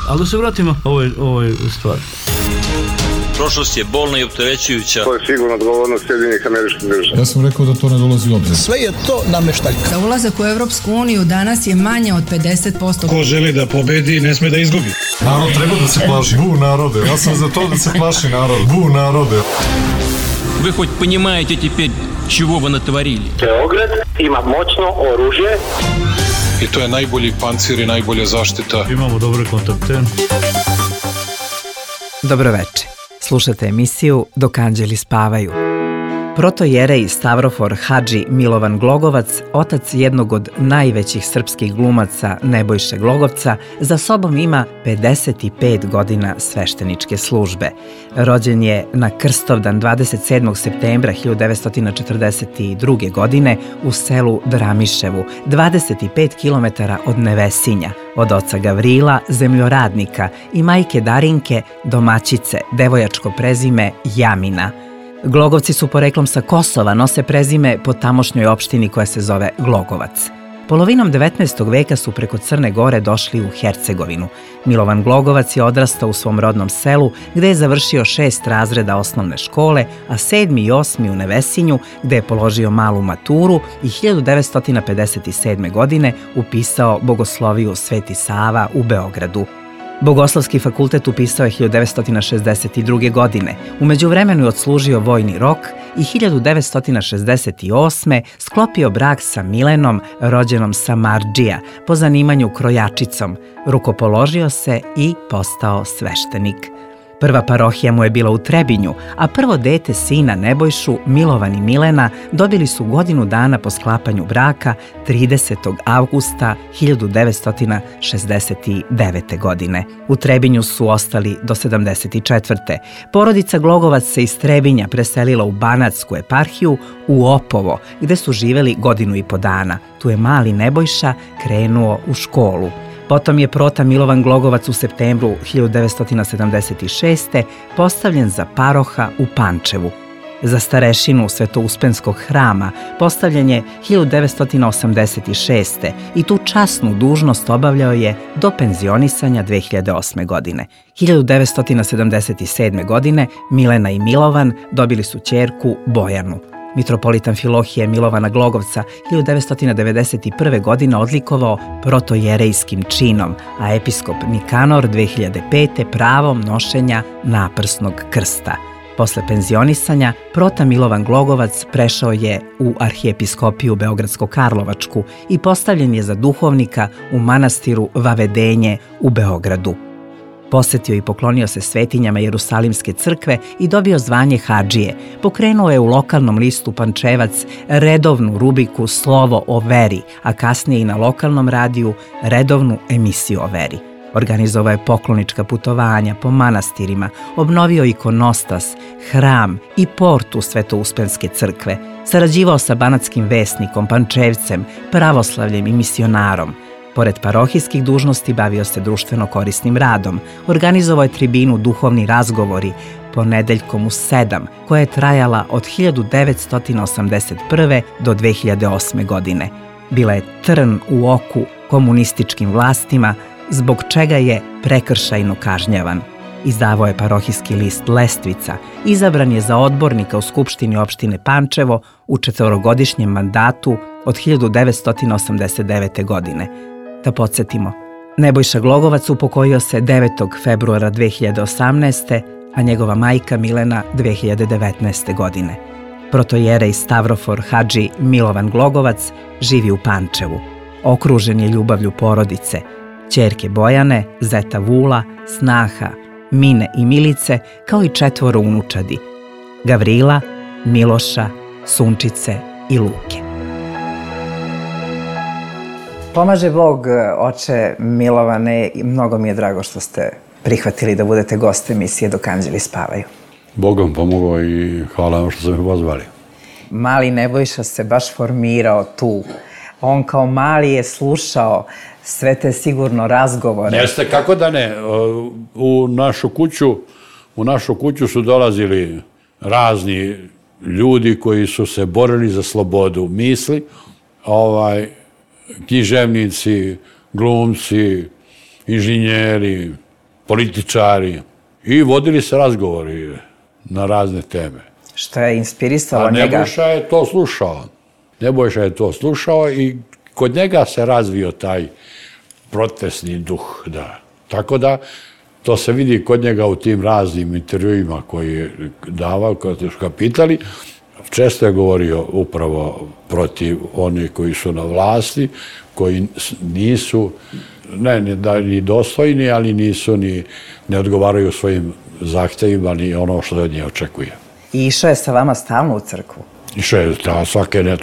Ali da se vratimo ovoj stvari. Prošlost je bolna i opterećujuća. To je sigurno odgovornost Sjedinjenih Američkih Država. Ja sam rekao da to ne dolazi u obzir. Sve je to nameštaljka. Za ulazak u Evropsku uniju danas je manje od 50%. Ko želi da pobedi, ne sme da izgubi. Narod treba da se plaši. Bu narode. Ja sam za to da se plaši narod. Bu narode. Вы хоть понимаете теперь, чего вы натворили? Beograd ima moćno oružje. I to je najbolji pancir i najbolja zaštita. Imamo dobre kontakte. Dobroveče. Slušate emisiju Dok anđeli spavaju. Protojerej Stavrofor Hadži Milovan Glogovac, otac jednog od najvećih srpskih glumaca Nebojše Glogovca, za sobom ima 55 godina svešteničke službe. Rođen je na Krstovdan 27. septembra 1942. godine u selu Dramiševu, 25 km od Nevesinja, od oca Gavrila, zemljoradnika, i majke Darinke, domaćice, devojačko prezime Jamina. Glogovci su poreklom sa Kosova, nose prezime po tamošnjoj opštini koja se zove Glogovac. Polovinom 19. veka su preko Crne Gore došli u Hercegovinu. Milovan Glogovac je odrastao u svom rodnom selu, gde je završio 6 razreda osnovne škole, a 7. i 8. u Nevesinju, gde je položio malu maturu i 1957. godine upisao Bogosloviju Sveti Sava u Beogradu. Bogoslovski fakultet upisao je 1962. godine. U međuvremenu je odslužio vojni rok i 1968. sklopio brak sa Milenom, rođenom Samardžija, po zanimanju krojačicom. Rukopoložio se i postao sveštenik. Prva parohija mu je bila u Trebinju, a prvo dete sina Nebojšu, Milovan i Milena, dobili su godinu dana po sklapanju braka 30. avgusta 1969. godine. U Trebinju su ostali do 74. Porodica Glogovac se iz Trebinja preselila u Banatsku eparhiju, u Opovo, gde su živeli godinu i po dana. Tu je mali Nebojša krenuo u školu. Potom je prota Milovan Glogovac u septembru 1976. postavljen za paroha u Pančevu. Za starešinu Svetouspenskog hrama postavljen je 1986. i tu časnu dužnost obavljao je do penzionisanja 2008. godine. 1977. godine Milena i Milovan dobili su ćerku Bojanu. Mitropolitan Filohije Milovana Glogovca 1991. godine odlikovao protojerejskim činom, a episkop Nikanor 2005. pravom nošenja naprsnog krsta. Posle penzionisanja, prota Milovan Glogovac prešao je u arhijepiskopiju Beogradsko-Karlovačku i postavljen je za duhovnika u manastiru Vavedenje u Beogradu. Posetio i poklonio se svetinjama Jerusalimske crkve i dobio zvanje hadžije. Pokrenuo je u lokalnom listu Pančevac redovnu rubriku Slovo o veri, a kasnije i na lokalnom radiju redovnu emisiju o veri. Organizovao je poklonička putovanja po manastirima, obnovio ikonostas, hram i portu Svetouspenske crkve, sarađivao sa banatskim vesnikom, Pančevcem, pravoslavljem i misionarom. Pored parohijskih dužnosti bavio se društveno korisnim radom. Organizovao je tribinu Duhovni razgovori ponedeljkom u 7, koja je trajala od 1981. do 2008. godine. Bila je trn u oku komunističkim vlastima, zbog čega je prekršajno kažnjavan. Izdavao je parohijski list Lestvica, izabran je za odbornika u Skupštini opštine Pančevo u 4-godišnjem mandatu od 1989. godine. Da podsjetimo, Nebojša Glogovac upokojio se 9. februara 2018. a njegova majka Milena 2019. godine. Protojerej Stavrofor Hadži Milovan Glogovac živi u Pančevu. Okružen je ljubavlju porodice, ćerke Bojane, zeta Vula, snaha Mine i Milice, kao i 4 unučadi, Gavrila, Miloša, Sunčice i Luke. Pomaže Bog, oče Milovane, i mnogo mi je drago što ste prihvatili da budete gost emisije Dok anđeli spavaju. Bogom pomogao i hvala vam što ste me pozvali. Mali Nebojša se baš formirao tu. On kao mali je slušao sve te sigurno razgovore. Jeste, kako da ne. U našu kuću su dolazili razni ljudi koji su se borili za slobodu misli, književnici, glumci inženjeri, političari i vodili se razgovori na razne teme. Što je inspirisalo njega? Nebojša je to slušao. Nebojša je to slušao i kod njega se razvio taj protestni duh. Da. Tako da, to se vidi kod njega u tim raznim intervjuima koji je davao, koji su ga pitali. Često je govorio upravo protiv onih koji su na vlasti, koji nisu, ni dostojni, ali nisu ne odgovaraju svojim zahtjevima ni ono što od nje očekuje. I išao je sa vama stalno u crkvu? Išao je, svake ne,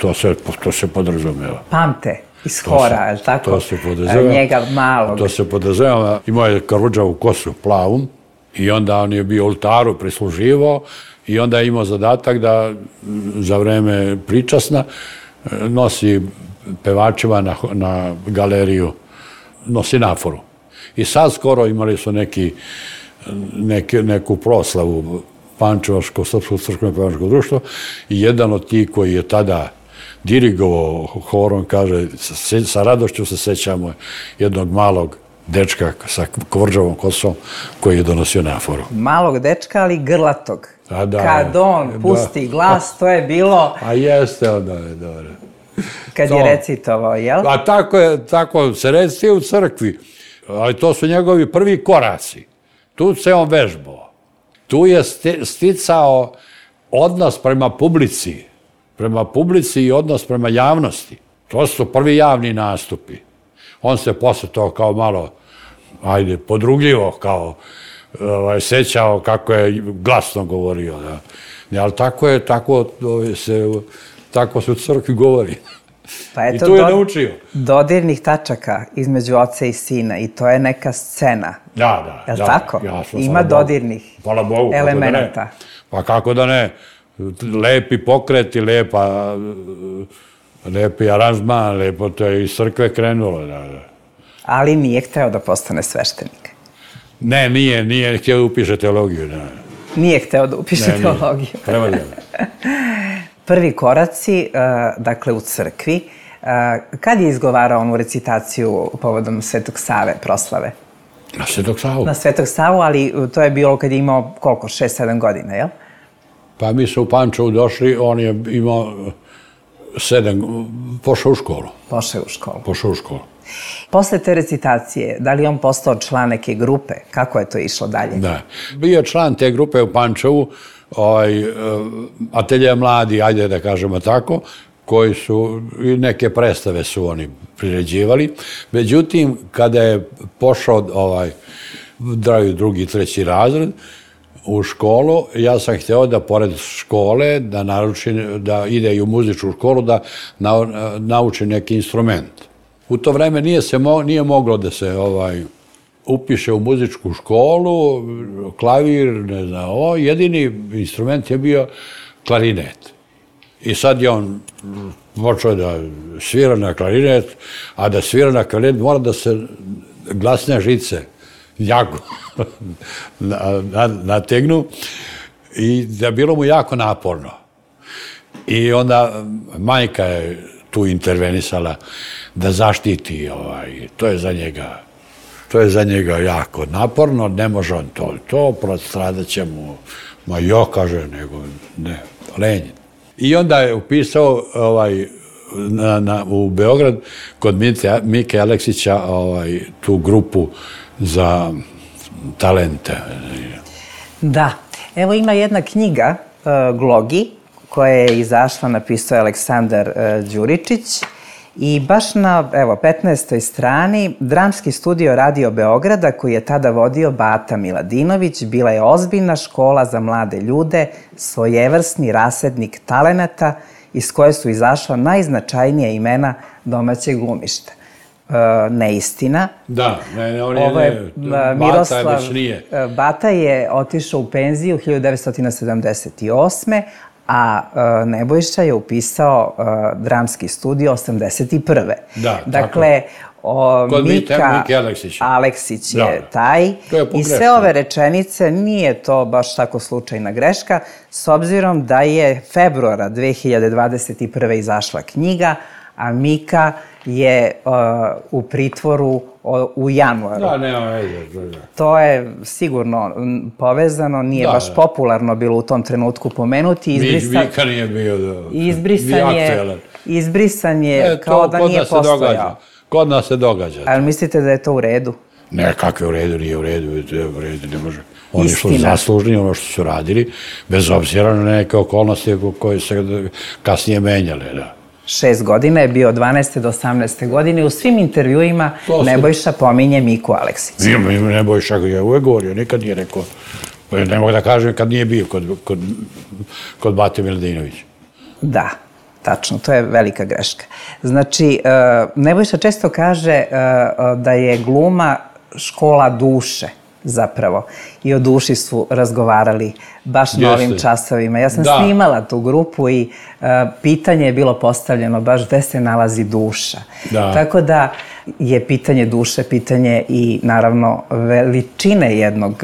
to se podrazumeva. Pamte iz hora, je li tako? To se podrazumeva. Njega malog. To se podrazumeva. Imao je karuđavu kosu, plavu, i onda on je bio u oltaru prisluživao i onda je imao zadatak da za vreme pričasna nosi pevačima na galeriju, nosi naforu. I sad skoro imali su neku proslavu Pančevačko, Srpsko crkveno pevačko društvo i jedan od tih koji je tada dirigovao horom, kaže, sa radošću se sećamo jednog malog dečka sa kvrđavom kosom koji je donosio naforu. Malog dečka, ali grlatog. Kad on pusti glas, to je bilo... A jeste, onda je dobro. Kad je recitovao, jel? A tako se recituje u crkvi. Ali to su njegovi prvi koraci. Tu se on vežbao. Tu je sticao odnos prema publici i odnos prema javnosti. To su prvi javni nastupi. On se posle to kao malo, podrugljivo, kao sećao kako je glasno govorio. Ali tako se u crkvi govori. I tu je naučio. Dodirnih tačaka između oca i sina i to je neka scena. Da. Je li tako? Ima dodirnih elemenata. Pa kako da ne? Lepi pokreti, lepi aranžman, lepo to je iz crkve krenulo. Ali nije hteo da postane sveštenik. Ne, nije htio da upiše teologiju. Nije hteo da upiše teologiju. Prevaljeno. Prvi koraci, dakle, u crkvi. Kad je izgovarao onu recitaciju povodom Svetog Save proslave? Na Svetog Savu. Na Svetog Savu, ali to je bilo kad je imao koliko? 6-7 godina, jel? Pa mi smo u Pančevu došli, on je imao 7, pošao u školu. Posle te recitacije, da li je on postao član neke grupe? Kako je to išlo dalje? Da. Bio je član te grupe u Pančevu, atelje mladi, ajde da kažemo tako, koji su, i neke predstave su oni priređivali. Međutim, kada je pošao drugi, treći razred u školu, ja sam hteo da pored škole, da ide i u muzičku školu, da nauči neki instrument. U to vreme nije moglo da se upiše u muzičku školu, klavir, ne znam, jedini instrument je bio klarinet. I sad je on počeo da svira na klarinet, a da svira na klarinet mora da se glasne žice jako nategnu i da bilo mu jako naporno. I onda majka je tu intervenisala da zaštiti, to je za njega jako naporno, ne može on to, prostradat će mu, kaže, nego ne, lenjen. I onda je upisao u Beograd kod Mike Aleksića tu grupu za talente. Da, evo ima jedna knjiga, Glogi, koja je izašla, napisao je Aleksandar Đuričić i baš na 15. strani Dramski studio Radio Beograda koji je tada vodio Bata Miladinović bila je ozbiljna škola za mlade ljude, svojevrsni rasednik talenata iz koje su izašla najznačajnija imena domaćeg glumišta. Neistina. Da, Miroslav Bata je otišao u penziju 1978. a Nebojša je upisao Dramski studio 81. Dakle, Mika Aleksić je taj i sve ove rečenice, nije to baš tako slučajna greška, s obzirom da je februara 2021. izašla knjiga, a Mika je u pritvoru u januaru. Da, nema veze. To je sigurno povezano, nije baš popularno bilo u tom trenutku pomenuti. Mika nije bio izbrisan je kao da nije postojao. Kod nas se događa. Ali mislite da je to u redu? Ne, kakve u redu, nije u redu, ne može. Oni su zaslužni ono što su radili, bez obzira na neke okolnosti koje se kasnije menjale, da. 6 godina je bio od 12. do 18. godine. U svim intervjuima Nebojša pominje Miku Aleksića. Nebojša je uvek govorio, nikad nije rekao. Ne mogu da kažem kad nije bio kod Bate Miladinovića. Da, tačno, to je velika greška. Znači, Nebojša često kaže da je gluma škola duše, zapravo. I o duši su razgovarali baš na ovim časovima. Ja sam snimala tu grupu i pitanje je bilo postavljeno baš gde se nalazi duša. Tako da je pitanje duše, pitanje i naravno veličine jednog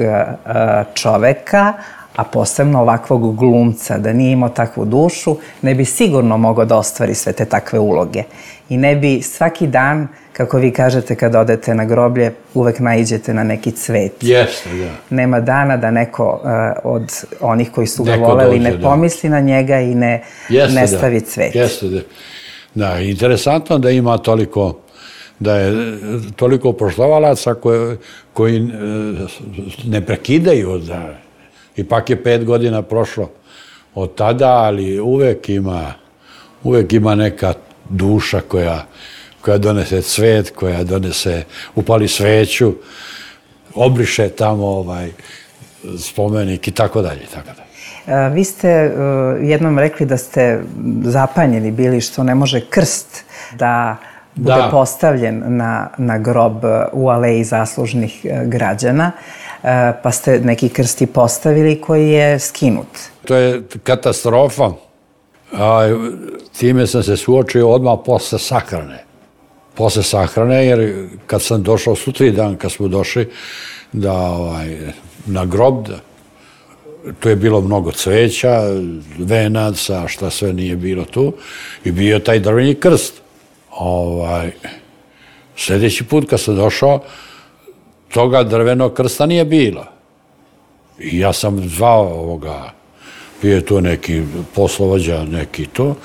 čoveka, a posebno ovakvog glumca, da nije imao takvu dušu, ne bi sigurno mogao da ostvari sve te takve uloge. I ne bi svaki dan, kako vi kažete kad odete na groblje, uvek naiđete na neki cvet. Jeste, da. Nema dana da neko od onih koji su ga voleli ne pomisli na njega i ne stavi cvet. Jeste, da. Da, interesantno da ima toliko, da je toliko poštovalaca koji ne prekidaju. Ipak je 5 godina prošlo od tada, ali uvek ima neka duša koja donese cvet, koja upali sveću, obriše tamo spomenik i tako dalje. Vi ste jednom rekli da ste zapanjeni bili što ne može krst da bude postavljen na grob u aleji zaslužnih građana, pa ste neki krst i postavili koji je skinut. To je katastrofa. Time sam se suočio odmah posle sahrane. Posle sahrane, jer kad sam došao sutri dan, kad smo došli na grob, tu je bilo mnogo cveća, venaca, šta sve nije bilo tu, i bio taj drveni krst. Sljedeći put kad sam došao, toga drvenog krsta nije bilo. I ja sam zvao bio je tu neki poslovođa, neki to,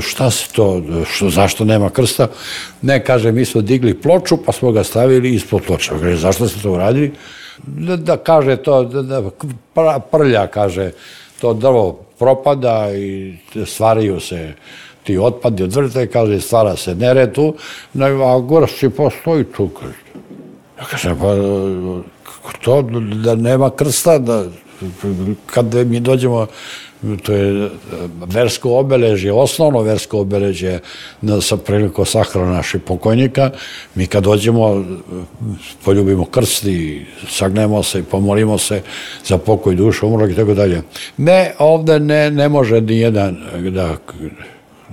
šta se to, zašto nema krsta? Ne, kaže, mi smo digli ploču, pa smo ga stavili ispod ploča. Kaže, zašto ste to uradili? Da kaže to, prlja, kaže, to drvo propada i stvaraju se ti otpadi od vrta i kaže, stvara se nered tu, a gorski postoji tu. Ja kažem, pa to da nema krsta, kad mi dođemo, to je versko obeležje, osnovno versko obeležje sa prilikom sahrane naših pokojnika. Mi kad dođemo, poljubimo krst i sagnemo se i pomolimo se za pokoj duše umrlog i tako dalje. Ne, ovde ne može ni jedan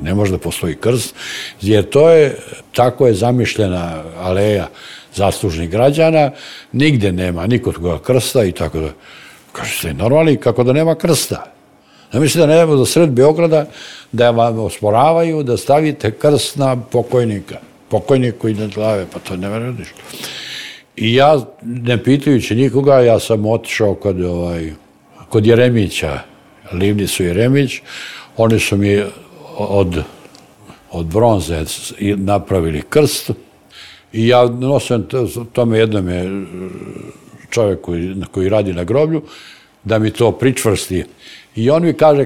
ne može da postoji krst, jer to je, tako je zamišljena aleja zaslužnih građana, nigde nema nikod koga krsta i tako da. Kažete, normalni, kako da nema krsta. Ne misli da nema do sred Beograda da vam osporavaju da stavite krst na pokojniku iznad glave, pa to ne veruješ. I ja, ne pitajući nikoga, ja sam otišao kod Jeremića, Livnicu Jeremić, oni su mi od bronze napravili krst i ja nosim tome jednom je čovjek koji radi na groblju, da mi to pričvrsti. I on mi kaže,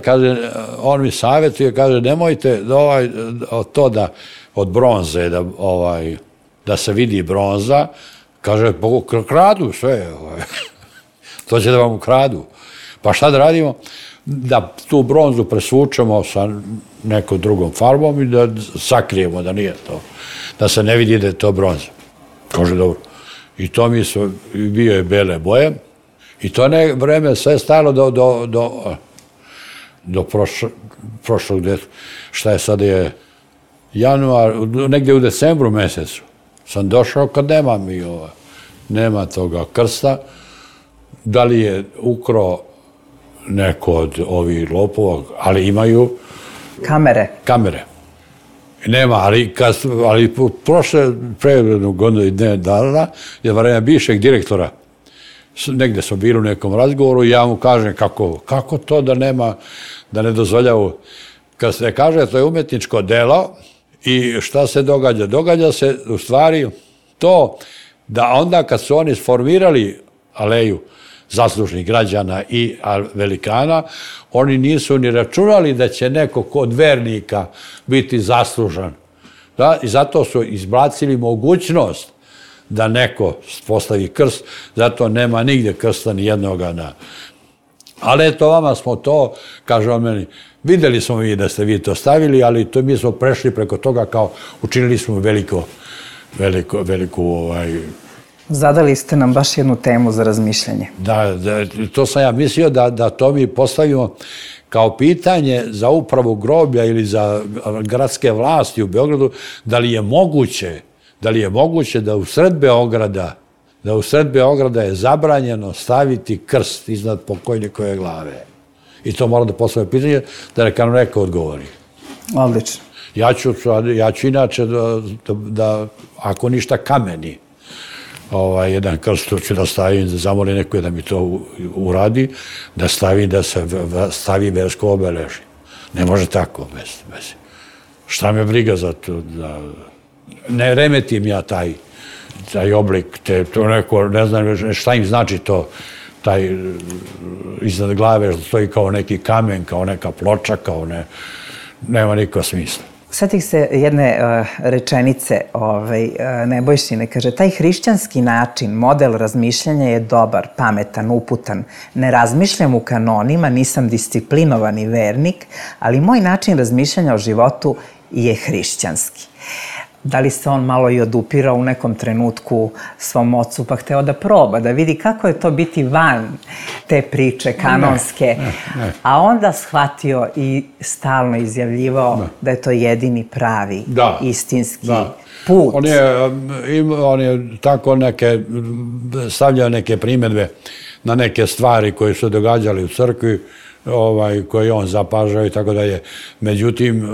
on mi savjetuje, kaže, nemojte to da od bronze, da se vidi bronza, kaže, kradu sve, to će da vam ukradu. Pa šta da radimo? Da tu bronzu presvučemo sa nekom drugom farbom i da sakrijemo da nije to, da se ne vidi da je to bronza. Kaže, dobro. I to mi su, bio je bele boje i to vreme sve stajalo do prošlog, šta je sad je januar, negdje u decembru mesecu sam došao kad nema toga krsta, da li je ukrao neko od ovih lopova, ali imaju kamere. Nema, ali pre godinu i dana je vreme bivšeg direktora. Negde smo bili u nekom razgovoru i ja mu kažem kako to da nema, da ne dozvoljavu. Kad se kaže to je umetničko delo i šta se događa? Događa se u stvari to da onda kad su oni sformirali aleju zaslužnih građana i velikana, oni nisu ni računali da će neko kod vernika biti zaslužan. Da? I zato su izbacili mogućnost da neko postavi krst, zato nema nigde krsta ni jednoga na... Ali eto, vama smo to, kaže on meni, videli smo mi da ste vi to stavili, ali to mi smo prešli preko toga kao učinili smo veliku Zadali ste nam baš jednu temu za razmišljanje. Da, to sam ja mislio da to mi postavimo kao pitanje za upravu groblja ili za gradske vlasti u Beogradu, da li je moguće da u sred Beograda je zabranjeno staviti krst iznad pokojnikove glave. I to moram da postavim pitanje, da neka nam neko odgovori. Odlično. Ja ću inače da ako ništa kameni, jedan krst ću da stavim, da zamolim neko da mi to uradi, da se stavi versko obeležje. Ne može tako bez. Šta me briga za to? Ne remetim ja taj oblik, to neko, ne znam šta im znači to, taj iznad glave što stoji kao neki kamen, kao neka ploča, nema nikakva smisla. Sjetih se jedne rečenice Nebojšine, kaže, taj hrišćanski način, model razmišljanja je dobar, pametan, uputan. Ne razmišljam u kanonima, nisam disciplinovani vernik, ali moj način razmišljanja o životu je hrišćanski. Da li se on malo i odupirao u nekom trenutku svom ocu, pa hteo da proba, da vidi kako je to biti van te priče kanonske, a onda shvatio i stalno izjavljivao da je to jedini pravi, istinski put. On je tako stavljao neke primjedbe na neke stvari koje su događali u crkvi, koje on zapažao i tako dalje. Međutim,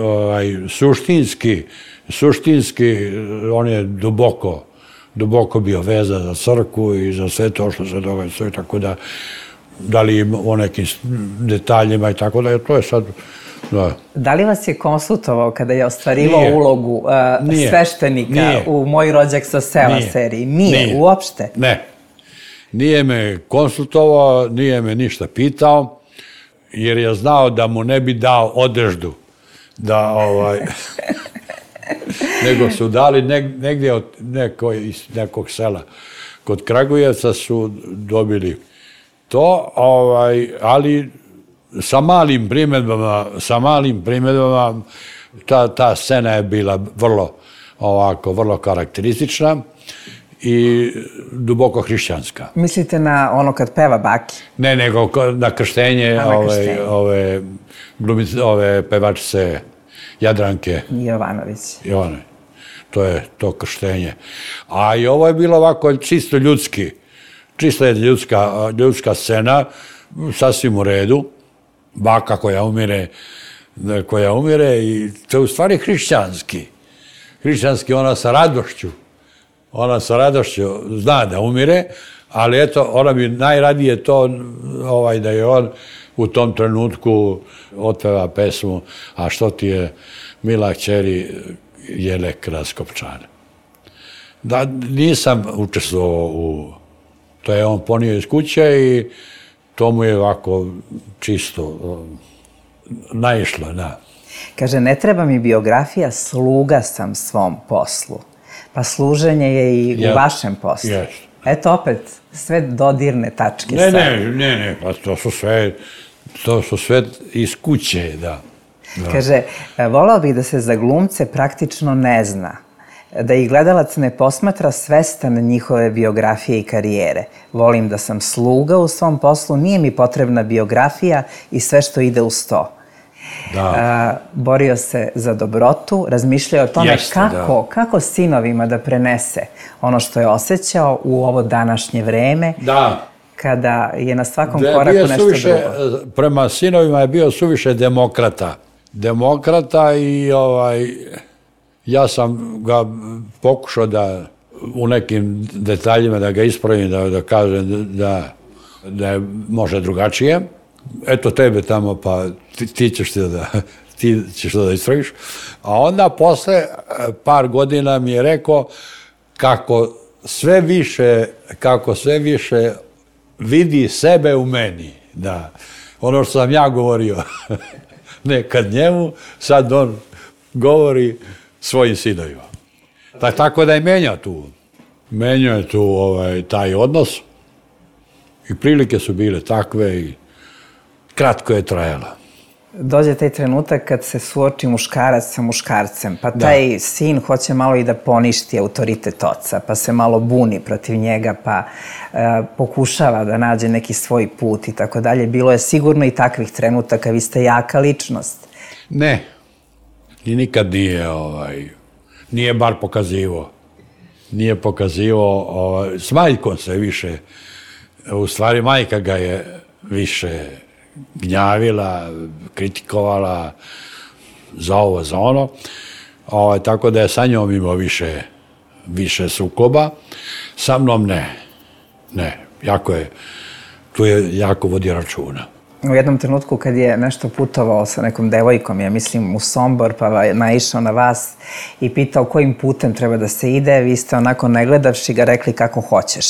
suštinski on je duboko bio vezan za crkvu i za sve to što se događa, tako da li o nekim detaljima i tako da to je sad... Da li vas je konsultovao kada je ostvarivao ulogu sveštenika u Moj rođak sa sela seriji? Nije, uopšte? Ne. Nije me konsultovao, nije me ništa pitao, jer je znao da mu ne bi dao odeždu da nego su dali negdje od nekog sela. Kod Kragujevca su dobili to, ali sa malim primjedbama ta scena je bila vrlo karakteristična i duboko hrišćanska. Mislite na ono kad peva baki? Ne, nego na krštenje ove pevačice Jadranke Jovanović. To je to krštenje. A i ovo je bilo ovako čisto ljudska scena, sasvim u redu, baka koja umire i to je u stvari hrišćanski. Hrišćanski ona sa radošću zna da umire, ali eto, ona bi najradije to da je on u tom trenutku otpeva pesmu A što ti je mila kćeri jele kraskopčane. Da, nisam učestvovao to je on ponio iz kuće i to mu je ovako čisto naišlo, da. Kaže, ne treba mi biografija, sluga sam svom poslu. Pa služenje je i u vašem poslu. Eto opet, sve dodirne tačke. Ne, pa to su sve iz kuće, da. Kaže, volao bih da se za glumce praktično ne zna, da ih gledalac ne posmatra svestan njihove biografije i karijere. Volim da sam sluga u svom poslu, nije mi potrebna biografija i sve što ide uz to. Borio se za dobrotu, razmišljao o tome kako sinovima da prenese ono što je osjećao u ovo današnje vreme, kada je na svakom koraku nešto drugo. Prema sinovima je bio suviše demokrata i Ja sam ga pokušao da u nekim detaljima da ga ispravim, da kažem da može drugačije. Eto tebe tamo, pa ti ćeš to da ispraviš. A onda posle par godina mi je rekao kako sve više vidi sebe u meni. Da. Ono što sam ja govorio nekad njemu, sad on govori svojim sinovima. Tako da je menjao je tu taj odnos i prilike su bile takve i kratko je trajalo. Dođe taj trenutak kad se suoči muškarac sa muškarcem, pa taj sin hoće malo i da poništi autoritet oca, pa se malo buni protiv njega, pa pokušava da nađe neki svoj put i tako dalje. Bilo je sigurno i takvih trenutaka, vi ste jaka ličnost. Ne, i nikad nije bar pokazivao. Nije pokazivao, s majkom se više, u stvari majka ga je više gnjavila, kritikovala za ovo, za ono, tako da je sa njom imao više sukoba. Sa mnom ne, tu je jako vodi računa. U jednom trenutku kad je nešto putovao sa nekom devojkom, ja mislim u Sombor, pa naišao na vas i pitao kojim putem treba da se ide, vi ste onako ne gledavši ga rekli kako hoćeš.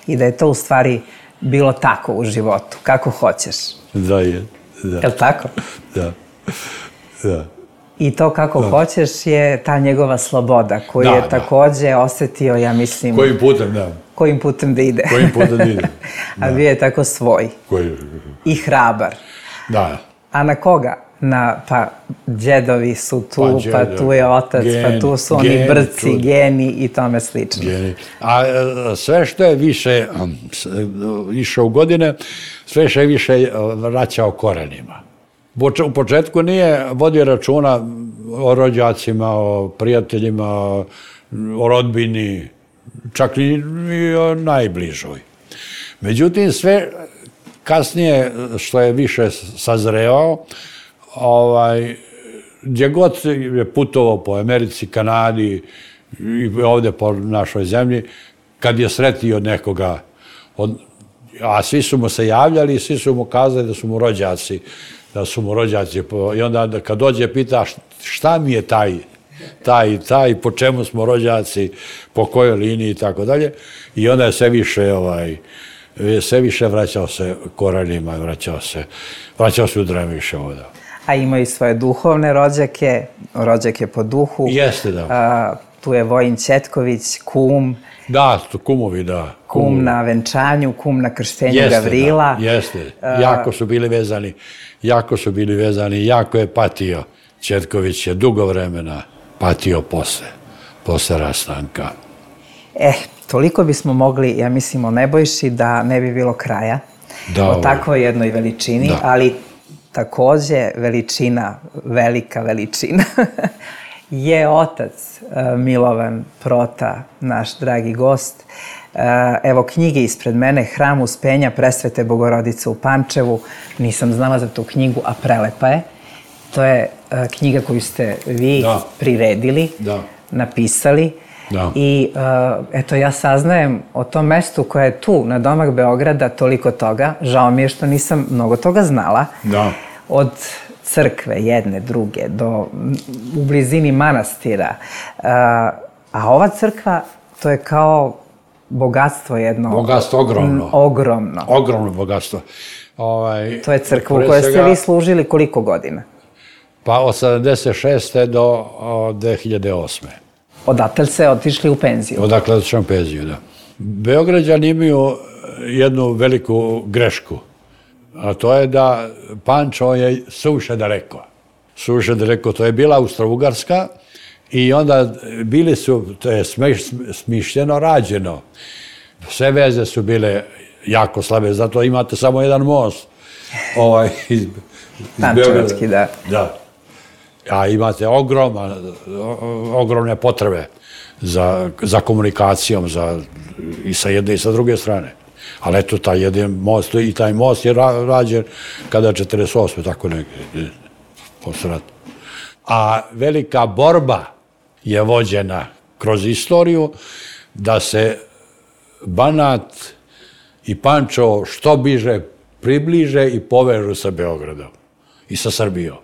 I da je to u stvari bilo tako u životu, kako hoćeš. Da je, da. Je li tako? Da. I to kako hoćeš je ta njegova sloboda koju je takođe osetio, ja mislim... Kojim putem, da. Kojim putem da ide. A bio je tako svoj. I hrabar. Da. A na koga? Pa džedovi su tu, pa tu je otac, pa tu su oni brci, geni i tome slično. A sve što je više išao u godine, sve što je više vraćao korenima. U početku nije vodio računa o rođacima, o prijateljima, o rodbini, čak i o najbližoj. Međutim, sve kasnije što je više sazrevao, gdje god je putovao po Americi, Kanadi i ovde po našoj zemlji, kad je sretio nekoga, a svi su mu se javljali, svi su mu kazali da su mu rođaci, i onda kad dođe pita šta mi je taj, po čemu smo rođaci, po kojoj liniji i tako dalje, i onda je sve više vraćao se korenima, vraćao se u Dremiše ovdje. A imaju i svoje duhovne rođake po duhu. Jeste, da. Tu je Vojin Ćetković, kum. Da, kumovi, da. Kum na venčanju, kum na krštenju Gavrila. Jeste, jako su bili vezani, jako je patio. Ćetković je dugo vremena patio posle rastanka. Toliko bismo mogli, ja mislim, o Nebojši da ne bi bilo kraja. O takvoj jednoj veličini, ali takođe veličina, velika veličina, je otac Milovan Prota, naš dragi gost. Evo knjige ispred mene, Hram Uspenja Presvete Bogorodice u Pančevu. Nisam znala za tu knjigu, a prelepa je. To je knjiga koju ste vi priredili, napisali. I eto, ja saznajem o tom mestu koje je tu, na domak Beograda, toliko toga. Žao mi je što nisam mnogo toga znala. Od crkve jedne, druge, u blizini manastira. A ova crkva, to je kao bogatstvo jedno. Bogatstvo ogromno. Ogromno. Ogromno bogatstvo. To je crkva u kojoj ste vi služili koliko godina? Pa od 76. do 2008. Odatle ste otišli u penziju? Odakle otišli u penziju, da. Beograđani imaju jednu veliku grešku, a to je da Pančevo je suviše daleko. Suviše daleko, to je bila Austro-Ugarska i onda bili su, to je smišljeno rađeno. Sve veze su bile jako slabe, zato imate samo jedan most. Pančevački, da. Da. A imate ogromne potrebe za komunikacijom i sa jedne i sa druge strane. Ali eto, taj jedan most, i taj most je rađen kada je 48. tako negdje, posle rata. A velika borba je vođena kroz istoriju da se Banat i Pančevo što bliže približe i povežu sa Beogradom i sa Srbijom.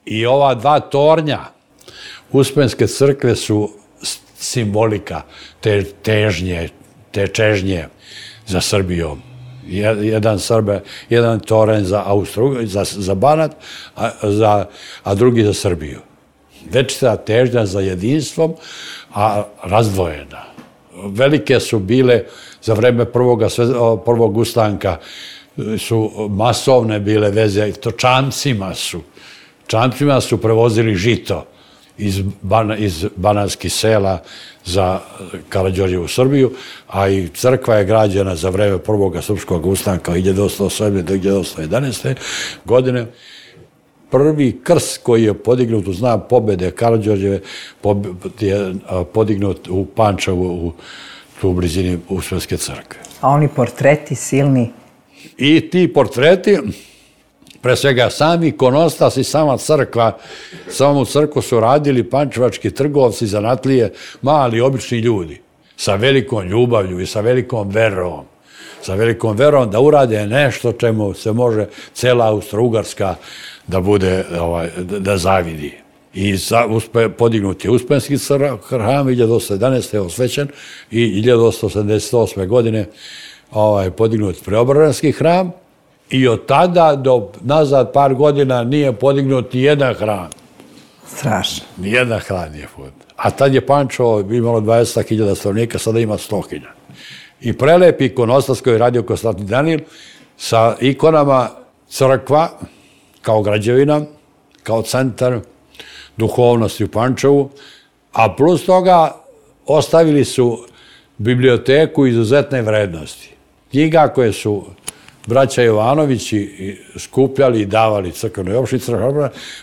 I ova dva tornja Uspenske crkve su simbolika te težnje, te čežnje za Srbijom. Jedan toranj za Banat, a drugi za Srbiju. Večita težnja za jedinstvom, a razdvojena. Velike su bile za vreme prvog ustanka, su masovne bile veze, to čamcima su prevozili žito iz banatskih sela za Karađorđevu Srbiju, a i crkva je građena za vreme prvog srpskog ustanka 1807. do 1811. godine. Prvi krst koji je podignut u znak pobede Karađorđeve je podignut u Pančevu, u blizini Uspenske crkve. A oni portreti silni? I ti portreti, pre svega sami ikonostas i sama crkva, samu crkvu su radili pančevački trgovci, zanatlije, mali, obični ljudi, sa velikom ljubavlju i sa velikom verom. Sa velikom verom da urade nešto čemu se može cela Austro-Ugarska da zavidi. I podignut je Uspenski hram, 1811. je osvećen i 1878. godine podignut Preobrazanski hram i od tada do nazad par godina nije podignut ni jedan hram. Strašno. Ni jedan hram nije podignut. A tad je Pančevo imalo 20.000 stanovnika, sada ima 100.000. I prelep ikonostas koji je radio Konstantin Danil sa ikonama crkva kao građevina, kao centar duhovnosti u Pančevu, a plus toga ostavili su biblioteku izuzetne vrednosti. Knjiga koje su braća Jovanovići skupljali i davali crkvenoj opštini,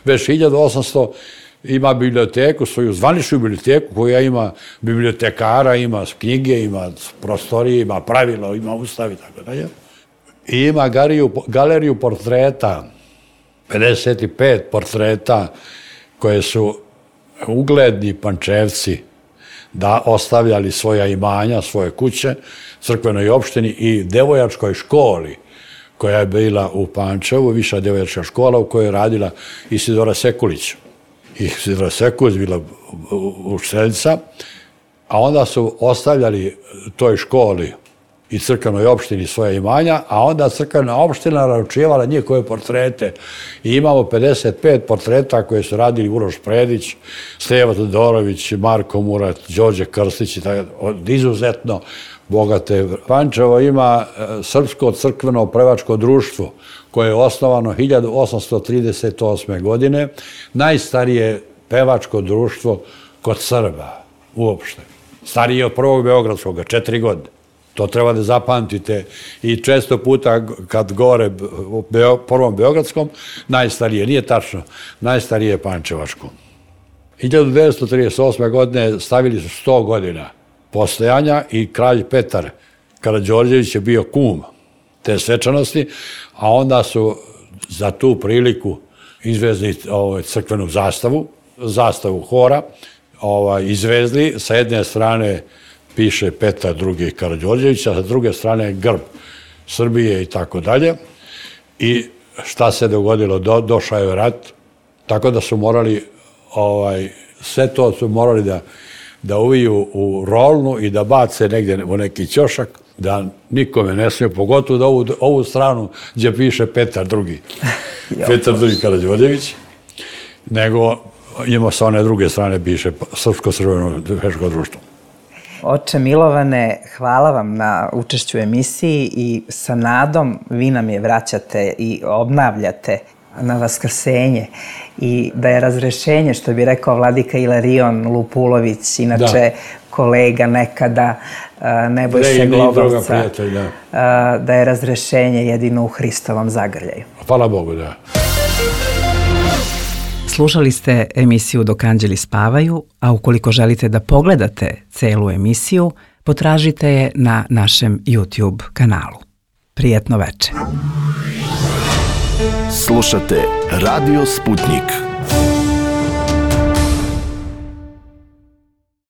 već 1800 ima biblioteku, svoju zvaničnu biblioteku koja ima bibliotekara, ima knjige, ima prostorije, ima pravilo, ima ustav i tako dalje. I ima galeriju portreta, 55 portreta koje su ugledni Pančevci da ostavljali svoja imanja, svoje kuće, crkvenoj opštini i devojačkoj školi koja je bila u Pančevu, viša devojačka škola u kojoj je radila Isidora Sekulić. Isidora Sekulić bila učiteljica, a onda su ostavljali toj školi i crkvenoj opštini svoje imanja, a onda crkvena opština naručivala njihove portrete. I imamo 55 portreta koje su radili Uroš Predić, Stevo Todorović, Marko Murat, Đorđe Krstić i tako, izuzetno bogate. Pančevo ima Srpsko crkveno prevačko društvo koje je osnovano 1838. godine, najstarije pevačko društvo kod Srba uopšte. Starije od prvog Beogradskog, 4 godine. To treba da zapamtite i često puta kad govore o prvom Beogradskom, najstarije, nije tačno, najstarije je Pančevačko. 1938. godine stavili su 100 godina postojanja i kralj Petar Karađorđević je bio kum te svečanosti, a onda su za tu priliku izvezli crkvenu zastavu hora, izvezli, sa jedne strane piše Petar II. Karađorđević, a sa druge strane grb Srbije i tako dalje. I šta se dogodilo? Došao je rat, tako da su morali, sve to su morali da uviju u rolnu i da bace negdje u neki ćošak, da nikome ne smije, pogotovo da ovu stranu gdje piše Petar II. Petar II. Karađorđević, nego ima sa one druge strane piše Srpsko crveno pevačko društvo. Oče Milovane, hvala vam na učešću u emisiji i sa nadom vi nam je vraćate i obnavljate na vaskrsenje i da je razrešenje, što bi rekao vladika Ilarion Lupulović, inače kolega nekada Nebojše Globovca, da je razrešenje jedino u Hristovom zagrljaju. Hvala Bogu, da. Slušali ste emisiju Dok anđeli spavaju, a ukoliko želite da pogledate celu emisiju, potražite je na našem YouTube kanalu. Prijetno večer. Slušate Radio Sputnik.